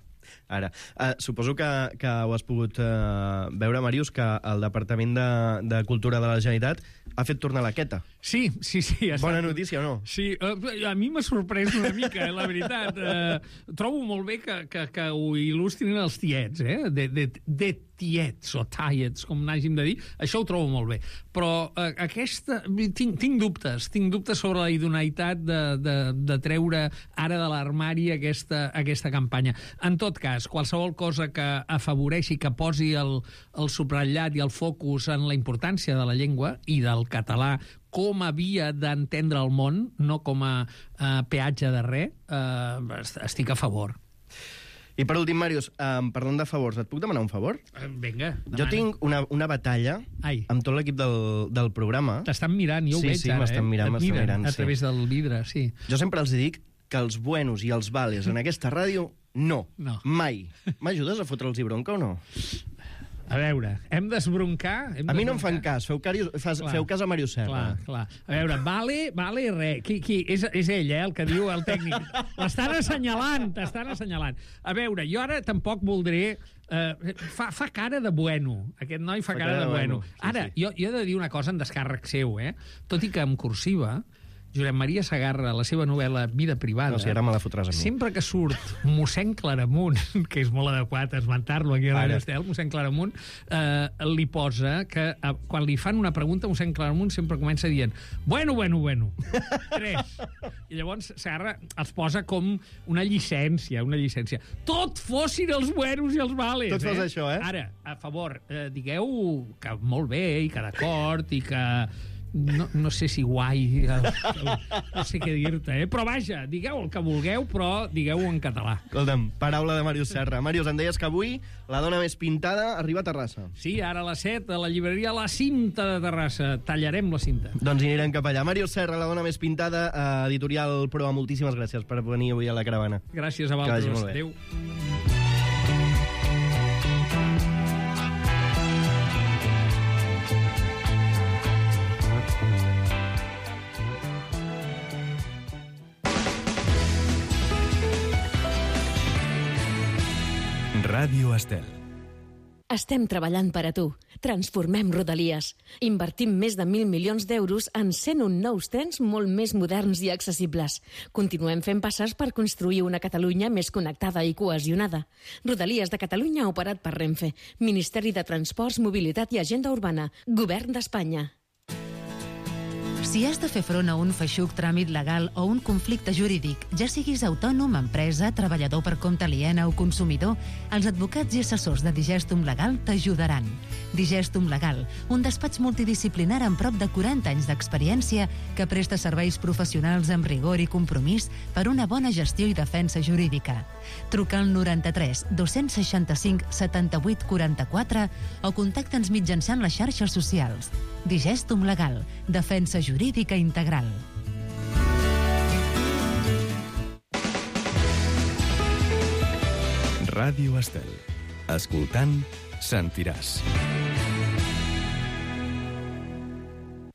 Suposo que ho has pogut veure, Màrius, que el Departament de Cultura de la Generalitat ha fet tornar la queta. Sí. Bona notícia o no? Sí, a mi m'ha sorprès una mica, la veritat. Trobo molt bé que ho il·lustrin els tiets, de tiets o tiets, com n'hàgim de dir. Això ho trobo molt bé. Però tinc dubtes sobre la idoneïtat de treure ara de l'armari aquesta campanya. En tot cas, qualsevol cosa que afavoreixi, que posi el subratllat i el focus en la importància de la llengua i del català com a via d'entendre el món, no com a peatge de res, estic a favor. I per últim, Màrius, parlant de favors, et puc demanar un favor? Vinga, demana. Jo tinc una batalla amb tot l'equip del programa. T'estan mirant, jo ho veig ara. Sí, m'estan mirant. A través del vidre, sí. Jo sempre els dic que els buenos i els vales en aquesta ràdio, no. Mai. M'ajudes a fotre'ls i bronca o no? A veure, hem d'esbroncar... A mi no em fan cas, feu cas a Màrius Serra. Clar. A veure, vale res. Qui? És ell, el que diu el tècnic. T'estan assenyalant. A veure, jo ara tampoc voldré... Fa cara de bueno. Aquest noi fa cara de bueno. Ara, jo he de dir una cosa en descàrrec seu, tot i que en cursiva, Josep Maria Segarra, la seva novel·la Vida privada... No, si ara me la fotràs a mi. Sempre que surt mossèn Claramunt, que és molt adequat esmentar-lo aquí a Radio Estel, mossèn Claramunt, li posa que quan li fan una pregunta, mossèn Claramunt sempre comença dient bueno. 3. I llavors Segarra els posa com una llicència. Tot fossin els buenos i els vales. Tot fos això, Ara, a favor, digueu que molt bé i que d'acord i que... No sé si guai, no sé què dir-te, però vaja, digueu el que vulgueu, però digueu-ho en català. Escolta'm, paraula de Màrius Serra. Màrius, em deies que avui La dona més pintada arriba a Terrassa. Sí, ara a les 7, a la llibreria La Cinta de Terrassa. Tallarem la cinta. Doncs hi anirem cap allà. Màrius Serra, La dona més pintada, editorial Proa. Moltíssimes gràcies per venir avui a la caravana. Gràcies a vosaltres. Que vagi molt bé. Adéu. Ràdio Estel. Estem treballant per a tu. Transformem Rodalies. Invertim més de 1.000 milions d'euros en 101 nous trens molt més moderns i accessibles. Continuem fent passes per construir una Catalunya més connectada i cohesionada. Rodalies de Catalunya operat per Renfe. Ministeri de Transports, Mobilitat i Agenda Urbana. Govern d'Espanya. Si has de fer front a un feixuc tràmit legal o un conflicte jurídic, ja siguis autònom, empresa, treballador per compte aliena o consumidor, els advocats i assessors de Digestum Legal t'ajudaran. Digestum Legal, un despatx multidisciplinar amb prop de 40 anys d'experiència que presta serveis professionals amb rigor i compromís per una bona gestió i defensa jurídica. Truca al 93 265 78 44 o contacta'ns mitjançant les xarxes socials. Digestum Legal, defensa jurídica integral. Ràdio Estel. Escoltant, sentiràs.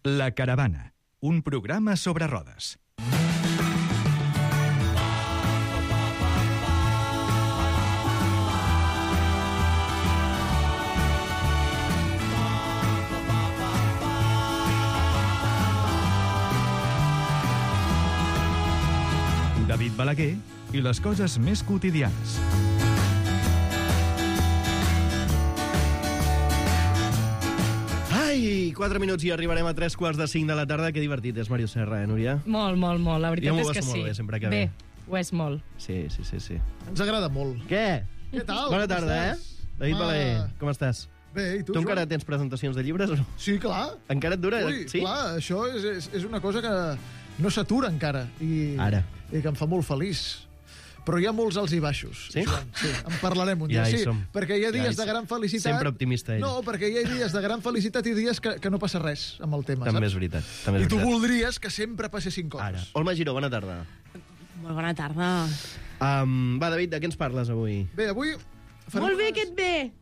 La Caravana, un programa sobre rodes. David Balaguer i les coses més quotidianes. Ai, 4 minuts i arribarem a 3:45 de la tarda. Que divertit és, Màrius Serra, Núria? Molt, molt, molt. La veritat és que sí. Molt bé, sempre que ve. Ho és molt. Sí. Ens agrada molt. Què? Què tal? Bona tarda, David Balaguer, com estàs? Bé, i tu, Tu Joan? encara tens presentacions de llibres o no? Sí, clar. Encara et dura? Ui, Sí? clar, això és una cosa que no s'atura encara. I que em fa molt feliç. Però hi ha molts alts i baixos, Sí? Joan. Sí, en parlarem un dia. Ja hi Sí, som. perquè hi ha dies Ja hi de gran felicitat... Sempre optimista, ell. No, perquè hi ha dies de gran felicitat i dies que no passa res amb el tema, També és saps? veritat. I tu voldries que sempre passessin coses. Ara. Olma Giró, bona tarda. Molt bona tarda. Va, David, de què ens parles avui? Bé, avui... farem Molt bé unes- que et ve.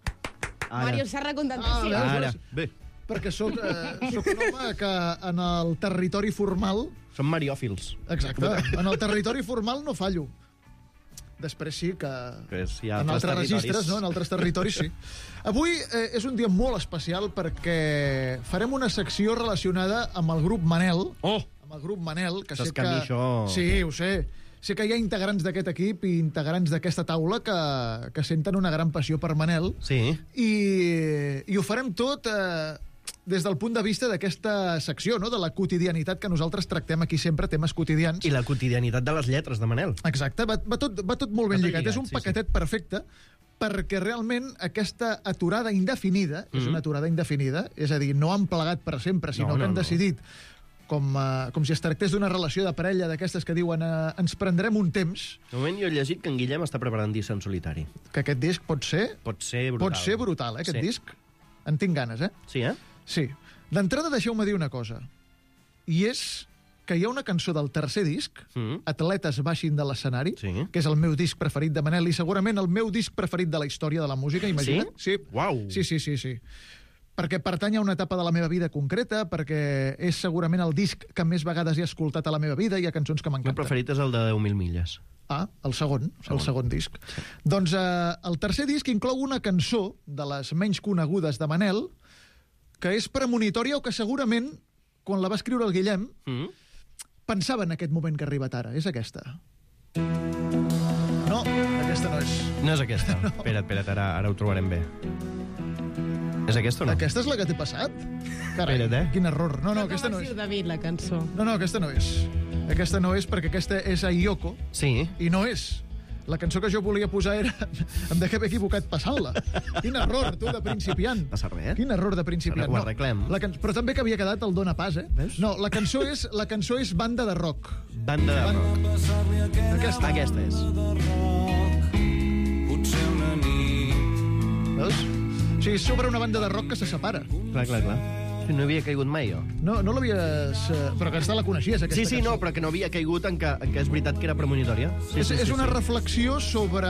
Màrius Serra, contentació. Ara, bé. Perquè soc un home que en el territori formal... Som mariòfils. Exacte. En el territori formal no fallo. Després sí que... Hi ha en altres territoris. registres, no? En altres territoris, sí. Avui és un dia molt especial perquè farem una secció relacionada amb el grup Manel. Oh! Amb el grup Manel, que Saps sé que a mi això- Sí, ho sé. Sé que hi ha integrants d'aquest equip i integrants d'aquesta taula que senten una gran passió per Manel. Sí. I ho farem tot des del punt de vista d'aquesta secció, no? De la quotidianitat que nosaltres tractem aquí sempre, temes quotidians. I la quotidianitat de les lletres de Manel. Exacte, va tot molt ben lligat. És un sí, paquetet perfecte perquè realment aquesta aturada indefinida, és una aturada indefinida, és a dir, no han plegat per sempre, sinó que han decidit, com si es tractés d'una relació de parella d'aquestes que diuen ens prendrem un temps, De moment jo he llegit que en Guillem està preparant disc en solitari. que aquest disc pot ser brutal, aquest Sí. disc. En tinc ganes, Sí, eh? Sí. D'entrada, deixeu-me dir una cosa. I és que hi ha una cançó del tercer disc, Atletes baixin de l'escenari, Sí. que és el meu disc preferit de Manel i segurament el meu disc preferit de la història de la música, imagina't. Sí? Uau. Sí. Perquè pertany a una etapa de la meva vida concreta, perquè és segurament el disc que més vegades he escoltat a la meva vida, hi ha cançons que El meu m'encanten. preferit és el de 10.000 milles. El segon disc. Sí. Doncs el tercer disc inclou una cançó de les menys conegudes de Manel, que és premonitòria o que segurament, quan la va escriure el Guillem, pensava en aquest moment que ha arribat ara. És aquesta. No, aquesta no és. No és aquesta. No. Espera't, ara ho trobarem bé. És aquesta o no? Aquesta és la que t'he passat? Carai, Espera't, quin error. No, aquesta no és. David, la cançó. No, aquesta no és. Aquesta no és perquè aquesta és a Yoko Sí. i no és. La cançó que jo volia posar era... Em dec haver equivocat passant-la. Quin error, tu, de principiant. Passa res. Quin error de principiant. Ara ho arreglem. Però també que havia quedat el Dona Pas, Veus? No, la cançó és Banda de Rock. Banda de rock. Aquesta. Aquesta és. Veus? O sigui, és sobre una banda de rock que se separa. Clar. Sí, no havia caigut mai, jo. No l'havies... Però aquesta la coneixies, aquesta Sí, cançó. no, però que no havia caigut en que és veritat que era premonitòria. Sí, És una reflexió sobre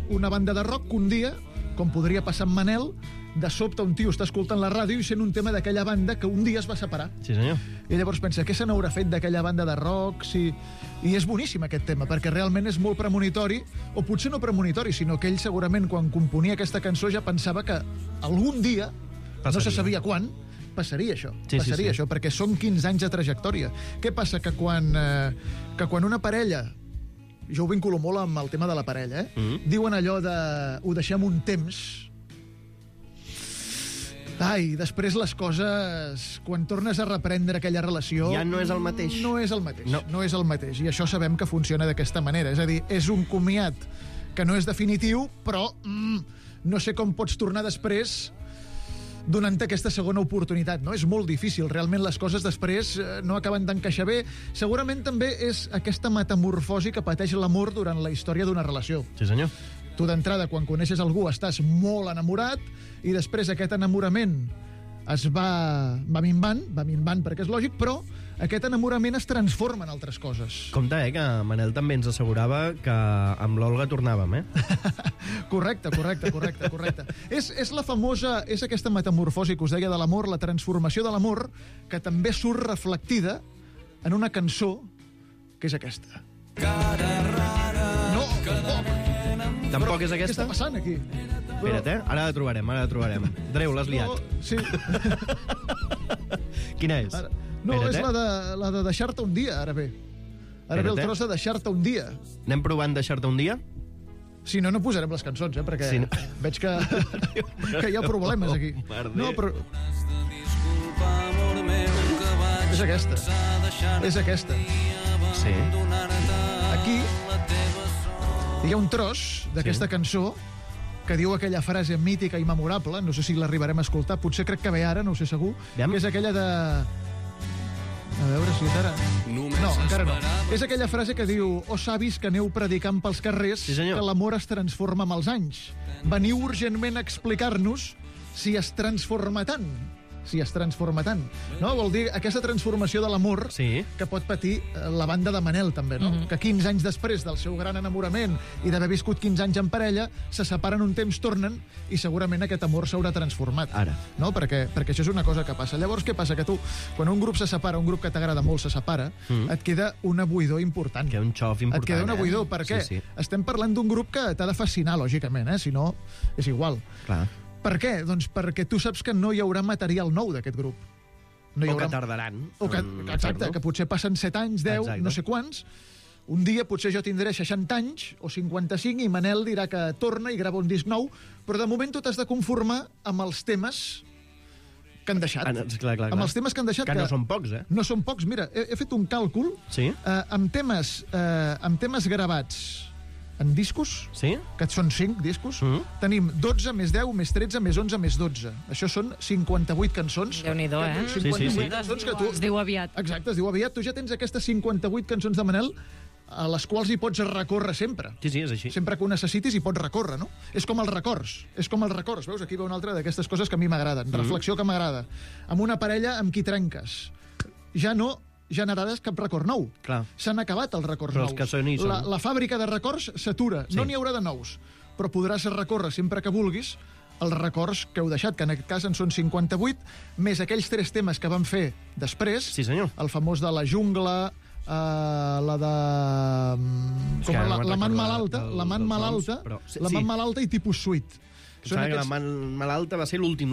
una banda de rock que un dia, com podria passar amb Manel, de sobte un tio està escoltant la ràdio i sent un tema d'aquella banda que un dia es va separar. Sí, senyor. I llavors pensa, què se n'haurà fet d'aquella banda de rock? I és boníssim aquest tema, perquè realment és molt premonitori, o potser no premonitori, sinó que ell segurament quan componia aquesta cançó ja pensava que algun dia, no se sabia quan, passaria això, passaria això, perquè són 15 anys de trajectòria. Què passa? Que quan una parella, jo ho vinculo molt amb el tema de la parella, diuen allò de ho deixem un temps... Ai, després les coses, quan tornes a reprendre aquella relació... Ja no és el mateix. No és el mateix, No. no és el mateix. I això sabem que funciona d'aquesta manera. És a dir, és un comiat que no és definitiu, però no sé com pots tornar després donant-te aquesta segona oportunitat, no? És molt difícil. Realment les coses després no acaben d'encaixar bé. Segurament també és aquesta metamorfosi que pateix l'amor durant la història d'una relació. Sí, senyor. Tu d'entrada, quan coneixes algú, estàs molt enamorat i després aquest enamorament es va minvant perquè és lògic, però aquest enamorament es transforma en altres coses. Compte, que Manel també ens assegurava que amb l'Olga tornàvem, Correcte. És la famosa, és aquesta metamorfosi que us deia de l'amor, la transformació de l'amor, que també surt reflectida en una cançó que és aquesta. No, Tampoc és què aquesta? està passant aquí? Espera't, ara la trobarem. Dreu, l'has liat. No, sí. Quina és? No, Espera't, és la de deixar-te un dia, ara bé. Ara ve el tros de Deixar-te un dia. Anem provant Deixar-te un dia? Si no, no posarem les cançons, perquè Sí, no. veig que hi ha problemes aquí. No, però... És aquesta. És aquesta. Sí. Aquí hi ha un tros d'aquesta cançó que diu aquella frase mítica i memorable, no sé si l'arribarem a escoltar, potser crec que ve ara, no ho sé segur, Aviam. que és aquella de... A veure si és ara... No, encara no. És aquella frase que diu: «Oh, savis que aneu predicant pels carrers, Sí, senyor. que l'amor es transforma amb els anys. Veniu urgentment a explicar-nos si es transforma tant». Si es transforma tant. No? Vol dir aquesta transformació de l'amor Sí. que pot patir la banda de Manel, també, no? Que 15 anys després del seu gran enamorament i d'haver viscut 15 anys en parella, se separen un temps, tornen, i segurament aquest amor s'haurà transformat. Ara. No? Perquè això és una cosa que passa. Llavors, què passa? Que tu, quan un grup se separa, un grup que t'agrada molt se separa, et queda una buidor important. Que un xof important, Et queda una buidor. Per què? Sí. Estem parlant d'un grup que t'ha de fascinar, lògicament, si no, és igual. Clar. Per què? Doncs perquè tu saps que no hi haurà material nou d'aquest grup. No hi O que tardaran. O que, exacte, que potser passen 7 anys, 10, Exacte. no sé quants. Un dia potser jo tindré 60 anys o 55 i Manel dirà que torna i grava un disc nou, però de moment tu t'has de conformar amb els temes que han deixat. Clar. Amb els temes que han deixat. Que no són pocs, No són pocs. Mira, he fet un càlcul Sí? amb temes gravats en discos, Sí? que són 5 discos, tenim 12 més 10 més 13 més 11 més 12. Això són 58 cançons. Déu-n'hi-do, eh? 58 cançons que tu... Es diu aviat. Exacte, es diu aviat. Tu ja tens aquestes 58 cançons de Manel a les quals hi pots recórrer sempre. Sí, és així. Sempre que ho necessitis hi pots recórrer, no? És com els records. És com els records. Veus? Aquí ve una altra d'aquestes coses que a mi m'agraden. Reflexió que m'agrada. Amb una parella amb qui trenques. Ja no generaràs cap record nou. Clar. S'han acabat els records Però nous. els que són hi són. La fàbrica de records s'atura. Sí. No n'hi haurà de nous. Però podràs recórrer sempre que vulguis els records que heu deixat, que en aquest cas en són 58, més aquells 3 temes que van fer després. Sí, senyor. El famós de la jungla, la de... És que ara no me'n la man recordo malalta, la man dels malalta, noms, però sí, la sí. man malalta i tipus suite. Són Sembla que la aquests- man malalta va ser l'últim,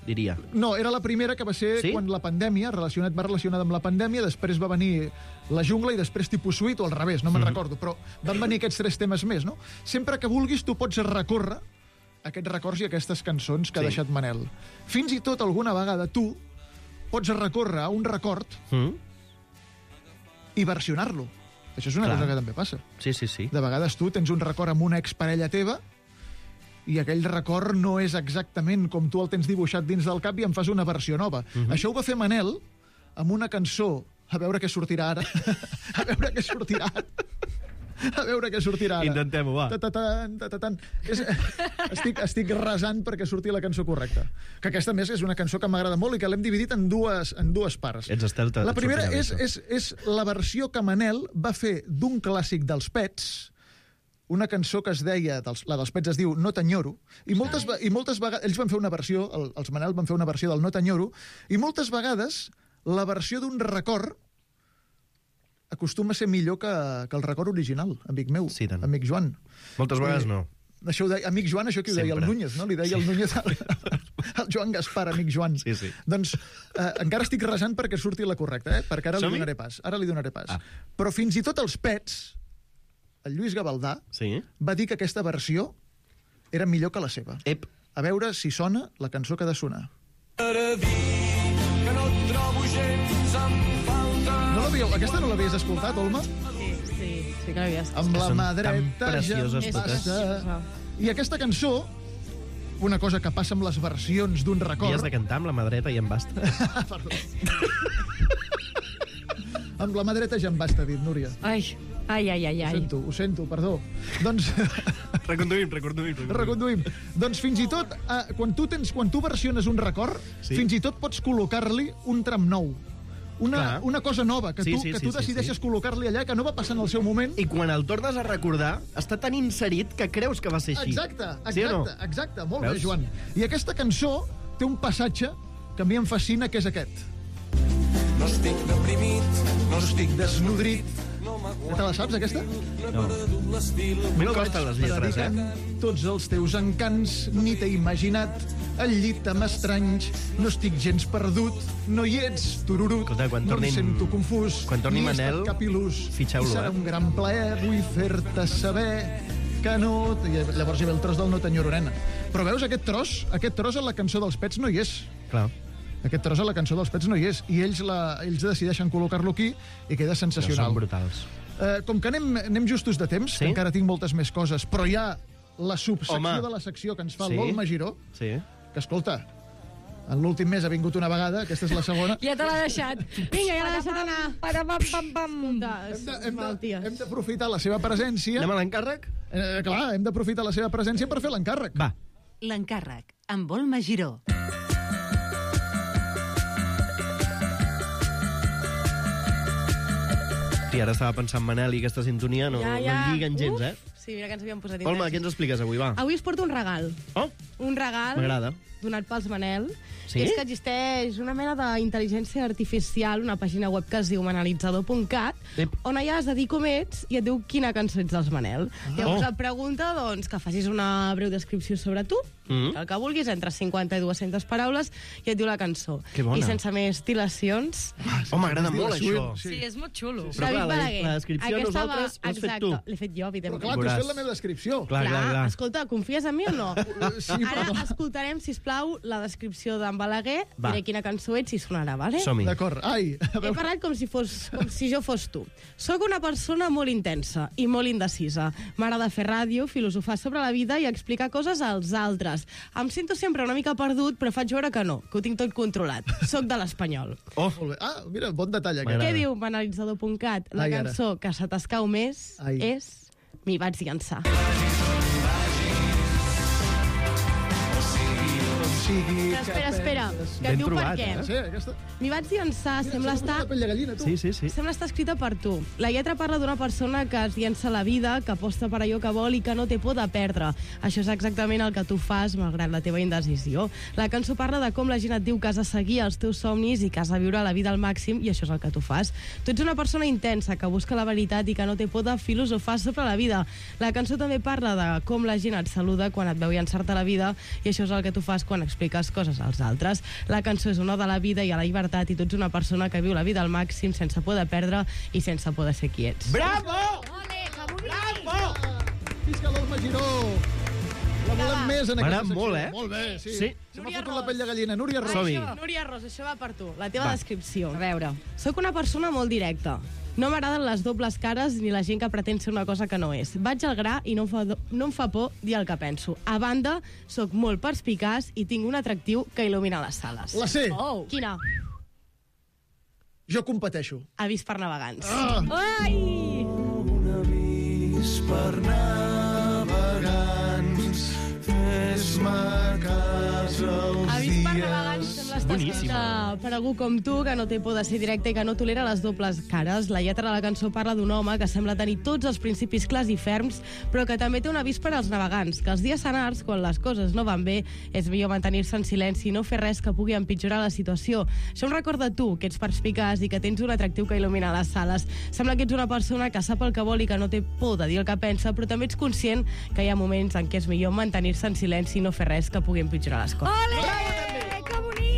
diria. No, era la primera que va ser Sí? quan la pandèmia, va relacionada amb la pandèmia, després va venir la jungla i després tipus suite, o al revés, no me'n recordo, però van venir aquests 3 temes més, no? Sempre que vulguis tu pots recórrer aquests records i aquestes cançons que ha deixat Manel. Fins i tot alguna vegada tu pots recórrer a un record i versionar-lo. Això és una Clar. cosa que també passa. Sí. De vegades tu tens un record amb una exparella teva i aquell record no és exactament com tu el tens dibuixat dins del cap i en fas una versió nova. Això ho va fer Manel amb una cançó, a veure què sortirà ara. A veure què sortirà ara. A veure què sortirà ara. Intentem-ho, va. Ta-ta-tan. Estic resant perquè surti la cançó correcta. Que aquesta, a més, és una cançó que m'agrada molt i que l'hem dividit en dues parts. Ets estel, La primera sortirà bé, és la versió que Manel va fer d'un clàssic dels Pets, una cançó que es deia, la dels Pets es diu No t'enyoro, i moltes vegades, ells van fer una versió, els Manel van fer una versió del No t'enyoro, i moltes vegades la versió d'un record acostuma a ser millor que el record original, amic meu, Sí, tant. amic Joan. Moltes vegades no. Això ho deia, amic Joan, això qui ho deia? El Sempre. Núñez, no? Li deia el Núñez al Joan Gaspar, amic Joan. Sí. Doncs encara estic resant perquè surti la correcta, perquè ara li Som-hi? donaré pas. Ara li donaré pas. Ah. Però fins i tot els Pets, el Lluís Gavaldà, Sí. va dir que aquesta versió era millor que la seva. Ep. A veure si sona la cançó que ha de sonar. No l'havíeu... Aquesta no l'havies escoltat, Olma? Sí que l'havia estat. Amb la Són mà tan dreta ja precioses em totes. basta. I aquesta cançó, una cosa que passa amb les versions d'un I has record... de cantar amb la mà dreta i en basta. Perdó. Amb la mà dreta ja em basta, dit, Núria. Ai. Ho sento, perdó. Doncs... Reconduïm. Doncs fins i tot, quan tu versiones un record, fins i tot pots col·locar-li un tram nou. Una cosa nova, que tu decideixes col·locar-li allà, que no va passar en el seu moment. I quan el tornes a recordar, està tan inserit que creus que va ser així. Exacte. Molt Veus? bé, Joan. I aquesta cançó té un passatge que a mi em fascina, que és aquest. No estic deprimit, no estic desnodrit, Ja te la saps, aquesta? No. A mi no costen les lletres, Tots els teus encants, ni t'he imaginat. Al llit amb estranys, no estic gens perdut. No hi ets, tururut. Escolta, quan no tornin- em sento confús. quan torni ni he Manel, estat cap il·lús. fitxeu-lo, I serà un gran plaer, vull fer-te saber que no... I llavors hi ve el tros del No t'enyoro, nena. Però veus, aquest tros en la cançó dels Pets no hi és. Clar. Aquest tros a la cançó dels Pets no hi és. I ells decideixen col·locar-lo aquí i queda sensacional. Són brutals. Com que anem justos de temps, Sí? que encara tinc moltes més coses, però hi ha la subsecció Home. de la secció que ens fa Sí? el Volma Giró, Sí. que, escolta, en l'últim mes ha vingut una vegada, aquesta és la segona. Ja te l'ha deixat. Vinga, ja l'ha deixat anar. Hem d'aprofitar la seva presència. Anem a l'encàrrec? Clar, hem d'aprofitar la seva presència per fer l'encàrrec. Va. L'encàrrec, amb Volma Giró. Sí, ara estava pensant Manel i aquesta sintonia no lliguen gens, Sí, mira que ens havíem posat Olma, què ens expliques avui, va? Avui us porto un regal. Oh, Un regal m'agrada. donat pels Manel. Sí? És que existeix una mena d'intel·ligència artificial, una pàgina web que es diu manelitzador.cat, Ep. on allà has de dir com ets i et diu quina cançó ets dels Manel. Llavors et pregunta doncs, que facis una breu descripció sobre tu, el que vulguis, entre 50 i 200 paraules, i et diu la cançó. Que bona. I sense més dilacions... Oh, m'agrada molt això. Sí, és molt xulo. Però clar, Balaguer, la descripció aquesta nosaltres l'has fet exacte, tu. l'he fet jo, Però evidentment. clar, tu has Veuràs. fet la meva descripció. Clar. Escolta, confies en mi o no? Sí, però Ara clar. escoltarem, sisplau, la descripció d'en Balaguer, Va. diré quina cançó ets i sonarà, vale? Som-hi. D'acord. Ai, a He veure, parlat com si jo fos tu. Soc una persona molt intensa i molt indecisa. M'agrada fer ràdio, filosofar sobre la vida i explicar coses als altres. Em sento sempre una mica perdut, però faig veure que no, que ho tinc tot controlat. Soc de l'Espanyol. Oh, molt bé. Ah, mira, bon detall aquest. M'agrada. Què diu banalitzador.cat? La Ai, ara. cançó que se t'escau més Ai. és M'hi vaig llançar. Sigui Espera, que Ben diu trobat, per què. Sí, aquesta... M'hi vaig llançar, sembla estar... La pell de gallina, tu. sí. Sembla estar escrita per tu. La lletra parla d'una persona que es llença a la vida, que aposta per allò que vol i que no té por de perdre. Això és exactament el que tu fas, malgrat la teva indecisió. La cançó parla de com la gent et diu que has de seguir els teus somnis i que has de viure la vida al màxim, i això és el que tu fas. Tu ets una persona intensa, que busca la veritat i que no té por de filosofar sobre la vida. La cançó també parla de com la gent et saluda quan et veu llançar-te a la vida, i això és el que tu fas quan expliques coses als altres. La cançó és una ode a la vida i a la llibertat, i tu ets una persona que viu la vida al màxim sense por de perdre i sense por de ser qui ets. Bravo! Bravo! Visca l'Olma Giró! La volem més en aquesta M'agrada secció. molt, Molt bé, sí. Sí. Se m'ha fotut la pell de gallina. Núria Ros. Som-hi. Núria Ros, això va per tu. La teva descripció. A veure. Soc una persona molt directa. No m'agraden les dobles cares ni la gent que pretén ser una cosa que no és. Vaig al gra i no em fa por dir el que penso. A banda, sóc molt perspicaç i tinc un atractiu que il·lumina les sales. La sé. Oh. Quina? Jo competeixo. Avís per navegants. Ai! Un avís per navegants, fes-me cas els Avís per dies. navegants sembla estar Boníssima. escrita per algú com tu, que no té por de ser directe i que no tolera les dobles cares. La lletra de la cançó parla d'un home que sembla tenir tots els principis clars i ferms, però que també té un avís per als navegants, que els dies senars, quan les coses no van bé, és millor mantenir-se en silenci i no fer res que pugui empitjorar la situació. Això em recorda tu, que ets perspicaç i que tens un atractiu que il·lumina les sales. Sembla que ets una persona que sap el que vol i que no té por de dir el que pensa, però també ets conscient que hi ha moments en què és millor mantenir-se en silenci i no fer res que pugui empitjorar les coses. Ole! Que bonic!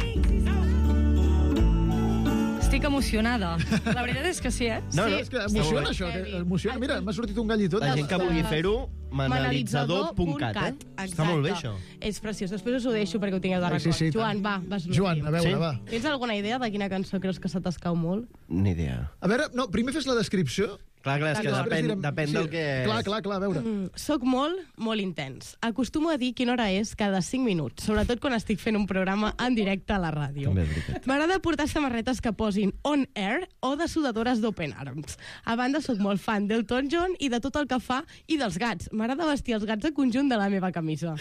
Estic emocionada. La veritat és que sí, eh? No, Sí, no, és que està emociona, molt bé. això. Que emociona. Mira, m'ha sortit un gall i tot. La gent que vulgui fer-ho, manelitzador.cat, Està molt bé, això. És preciós. Després us ho deixo perquè ho tingueu de Ai, record. sí, sí, Joan, tant. va, vas Joan, a veure, Sí? va. Tens alguna idea de quina cançó creus que se t'escau molt? Ni idea. A veure, no, primer fes la descripció. Clar, és que Després direm- depèn sí, del que... Clar, a veure. Soc molt intens. Acostumo a dir quina hora és cada 5 minuts, sobretot quan estic fent un programa en directe a la ràdio. També és veritat. M'agrada portar samarretes que posin on air o de sudadores d'Open Arms. A banda, sóc molt fan d'Elton John i de tot el que fa i dels gats. M'agrada vestir els gats a conjunt de la meva camisa.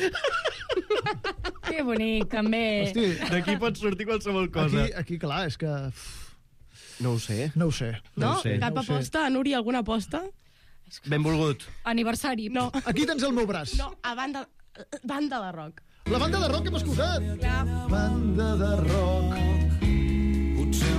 Que bonic, també. Hosti, D'aquí pot sortir qualsevol cosa. aquí, clar, és que... No ho sé. No ho sé. No? ho sé. Cap No ho sé. aposta? Núria, alguna aposta? Benvolgut. Aniversari. No. Aquí tens el meu braç. No, a banda de rock. La banda de rock que hem escoltat. Clar. Banda de rock.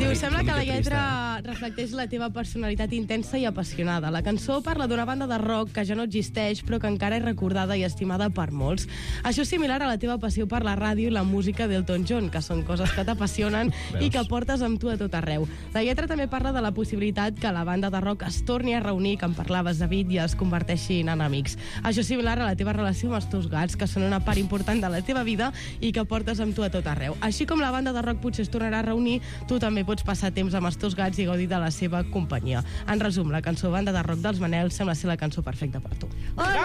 Diu, sembla que la lletra reflecteix la teva personalitat intensa i apassionada. La cançó parla d'una banda de rock que ja no existeix, però que encara és recordada i estimada per molts. Això és similar a la teva passió per la ràdio i la música d'Elton John, que són coses que t'apassionen i que portes amb tu a tot arreu. La lletra també parla de la possibilitat que la banda de rock es torni a reunir, que en parlaves, David, i es converteixin en amics. Això és similar a la teva relació amb els teus gats, que són una part important de la teva vida i que portes amb tu a tot arreu. Així com la banda de rock potser es tornarà a reunir, tu també pots passar temps amb els teus gats i gaudir de la seva companyia. En resum, la cançó Banda de rock dels Manel sembla ser la cançó perfecta per tu. Ole,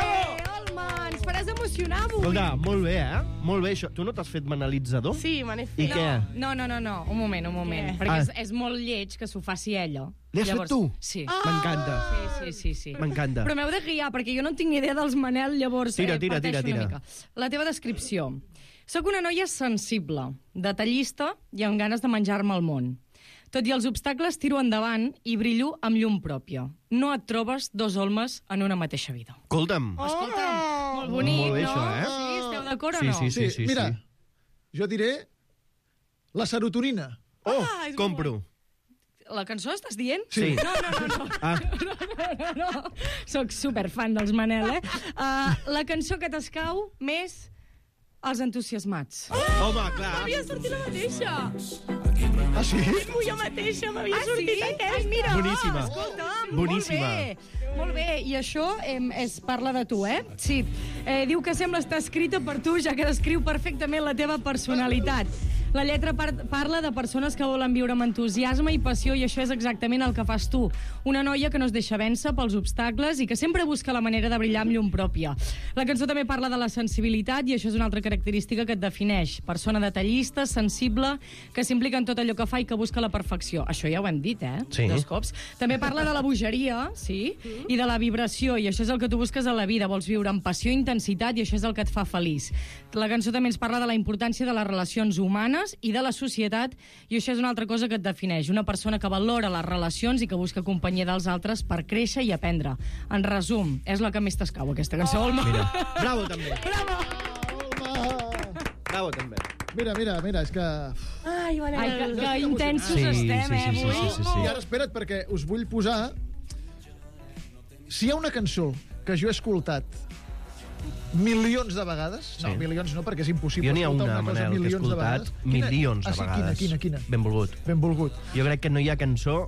Olma, ens faràs emocionar avui. Escolta, molt bé, Molt bé, això. Tu no t'has fet manelitzador? Sí, me n'he fet. I què? No, un moment. Perquè és molt lleig que s'ho faci ella. Li has fet tu? Sí. M'encanta. Sí. M'encanta. Però m'heu de guiar, perquè jo no tinc ni idea dels Manel, llavors Tira. parteixo una mica. La teva descripció. Soc una noia sensible, detallista i amb ganes de menjar-me el món. Tot i els obstacles, tiro endavant i brillo amb llum pròpia. No et trobes dos Olmes en una mateixa vida. Escolta'm. Escolta'm, molt bonic, Molt bé, no? això, Sí, esteu d'acord o no? Sí. Mira, jo diré la serotonina. és Compro. La cançó estàs dient? Sí. No. Ah. No. Soc superfan dels Manel, eh? La cançó que t'escau més els entusiasmats. Home, clar. M'havia sortit la mateixa. Ah, sí? Jo mateixa m'havia sortit aquesta. Ai, mira, Boníssima. Escolta'm, Boníssima. Molt bé, i això parla de tu, eh? Sí. Diu que sembla estar escrita per tu, ja que descriu perfectament la teva personalitat. La lletra parla de persones que volen viure amb entusiasme i passió, i això és exactament el que fas tu. Una noia que no es deixa vèncer pels obstacles i que sempre busca la manera de brillar amb llum pròpia. La cançó també parla de la sensibilitat, i això és una altra característica que et defineix. Persona detallista, sensible, que s'implica en tot allò que fa i que busca la perfecció. Això ja ho hem dit, Sí. Dos cops. També parla de la bogeria, sí, i de la vibració, i això és el que tu busques a la vida. Vols viure amb passió i intensitat, i això és el que et fa feliç. La cançó també ens parla de la importància de les relacions humanes i de la societat, i això és una altra cosa que et defineix. Una persona que valora les relacions i que busca companyia dels altres per créixer i aprendre. En resum, és la que més t'escau, aquesta cançó, Olma. Mira, bravo, també. Bravo! Bravo, també. Mira, és que... Ai, Manel. Que intensos Sí, estem, sí, avui. sí. I ara espera't, perquè us vull posar... Si hi ha una cançó que jo he escoltat milions de vegades... No, milions no, perquè és impossible Jo n'hi ha escoltar una, cosa Manel, que he milions de escoltat vegades. milions de sí, vegades. Quina? Benvolgut. Benvolgut. Jo crec que no hi ha cançó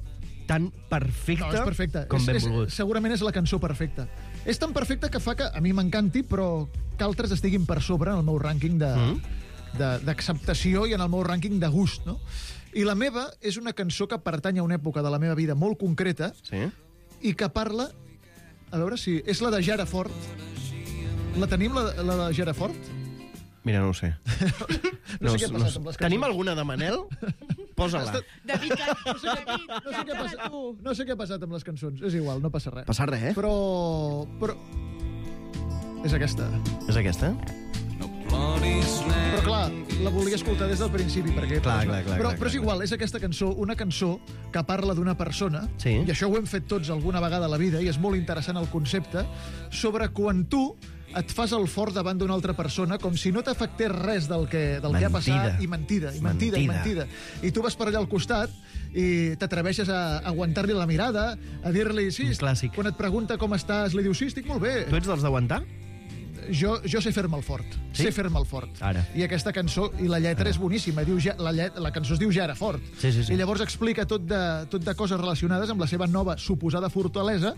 tan perfecta, No, és perfecta. com Benvolgut. Segurament és la cançó perfecta. És tan perfecta que fa que a mi m'encanti, però que altres estiguin per sobre en el meu rànquing d'acceptació i en el meu rànquing de gust, no? I la meva és una cançó que pertany a una època de la meva vida molt concreta i que parla... A veure si... És la de Jara Fort. La tenim, la de Jara Fort? Mira, no ho sé. No sé què ha passat amb les cançons. Tenim alguna de Manel? Posa-la. David, No sé què ha passat amb les cançons. És igual, no passa res. Passa res, eh? Però... És aquesta. És aquesta? Però clar, la volia escoltar des del principi, perquè... Clar. Però és igual, és aquesta cançó, una cançó que parla d'una persona, i això ho hem fet tots alguna vegada a la vida, i és molt interessant el concepte, sobre quan tu et fas el fort davant d'una altra persona com si no t'afectés res del que ha passat, i mentida. I tu vas per allà al costat i t'atreveixes a aguantar-li la mirada, a dir-li, sí, quan et pregunta com estàs, li dius, sí, estic molt bé. Tu ets dels d'aguantar? Jo sé fer-me el fort. Sí? Sé fer-me el fort. Ara. I aquesta cançó, i la lletra és boníssima. Diu, la cançó es diu Ja era fort. Sí. I llavors explica tot de coses relacionades amb la seva nova suposada fortalesa,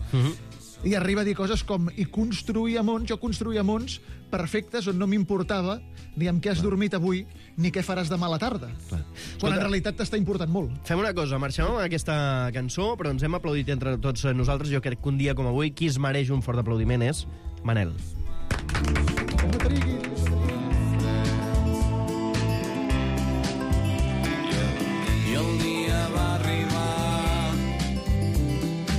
i arriba a dir coses com jo construïa mons perfectes on no m'importava ni amb què has dormit avui ni què faràs demà a la tarda. Quan en realitat t'està important molt. Fem una cosa, marxem amb aquesta cançó, però ens hem aplaudit entre tots nosaltres. Jo crec que un dia com avui qui es mereix un fort aplaudiment és Manel. No triguis.